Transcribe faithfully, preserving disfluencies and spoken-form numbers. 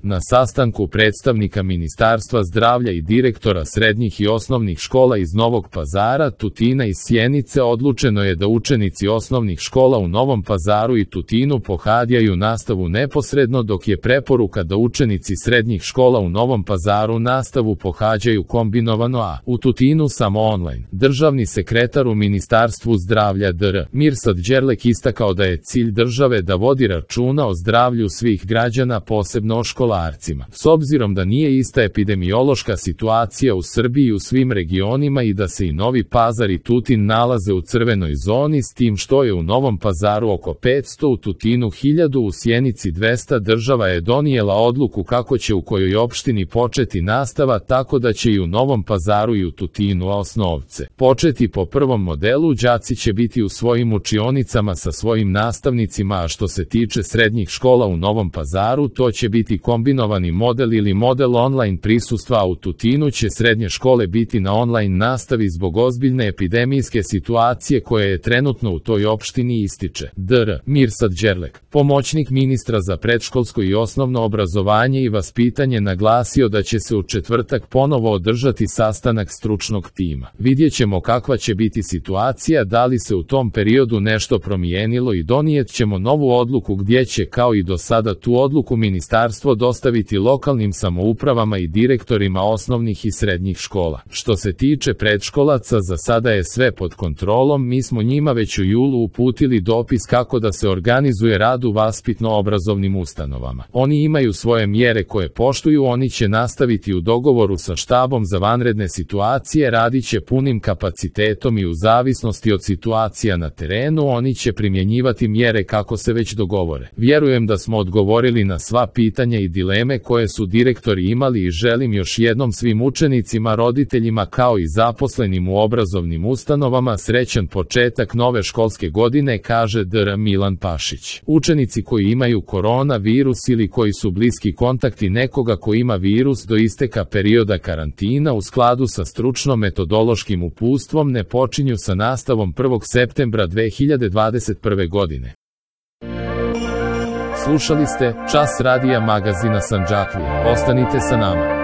Na sastanku predstavnika Ministarstva zdravlja i direktora srednjih i osnovnih škola iz Novog Pazara, Tutina i Sjenice odlučeno je da učenici osnovnih škola u Novom Pazaru i Tutinu pohađaju nastavu neposredno, dok je preporuka da učenici srednjih škola u Novom Pazaru nastavu pohađaju kombinovano, a u Tutinu samo online. Državni sekretar u Ministarstvu zdravlja dr Mirsad Đerlek istakao da je cilj države da vodi računa o zdravlju svih građana, posebno o školarima. S obzirom da nije ista epidemiološka situacija u Srbiji i u svim regionima i da se i Novi Pazar i Tutin nalaze u crvenoj zoni, s tim što je u Novom Pazaru oko petsto, u Tutinu hiljadu, u Sjenici dvesta, država je donijela odluku kako će u kojoj opštini početi nastava, tako da će i u Novom Pazaru i u Tutinu osnovce početi po prvom modelu. Đaci će biti u svojim učionicama sa svojim nastavnicima, a što se tiče srednjih škola u Novom Pazaru, to će biti kombinovani model ili model online prisustva, a u Tutinu će srednje škole biti na online nastavi zbog ozbiljne epidemijske situacije koja je trenutno u toj opštini, ističe dr Mirsad Đerlek. Pomoćnik ministra za predškolsko i osnovno obrazovanje i vaspitanje naglasio da će se u četvrtak ponovo održati sastanak stručnog tima. Vidjet ćemo kakva će biti situacija, da li se u tom periodu nešto promijenilo i donijet ćemo novu odluku gdje će kao i do sada tu odluku ministarstvo dostaviti lokalnim samoupravama i direktorima osnovnih i srednjih škola. Što se tiče predškolaca, za sada je sve pod kontrolom, mi smo njima već u julu uputili dopis kako da se organizuje rad u vaspitno-obrazovnim ustanovama. Oni imaju svoje mjere koje poštuju, oni će nastaviti u dogovoru sa štabom za vanredne situacije, radit će punim kapacitetom i u zavisnosti od situacija na terenu, oni će primjenjivati mjere kako se već dogovore. Vjerujem da smo odgovorili na sva pitanja i dileme koje su direktori imali i želim još jednom svim učenicima, roditeljima kao i zaposlenim u obrazovnim ustanovama srećan početak nove školske godine, kaže dr Milan Pašić. Učenici koji imaju korona virus ili koji su bliski kontakti nekoga ko ima virus do isteka perioda karantina u skladu sa stručno-metodološkim uputstvom ne počinju sa nastavom prvog septembra dve hiljade dvadeset prve. godine. Slušali ste Čas radija magazina Sandžaklija. Ostanite sa nama.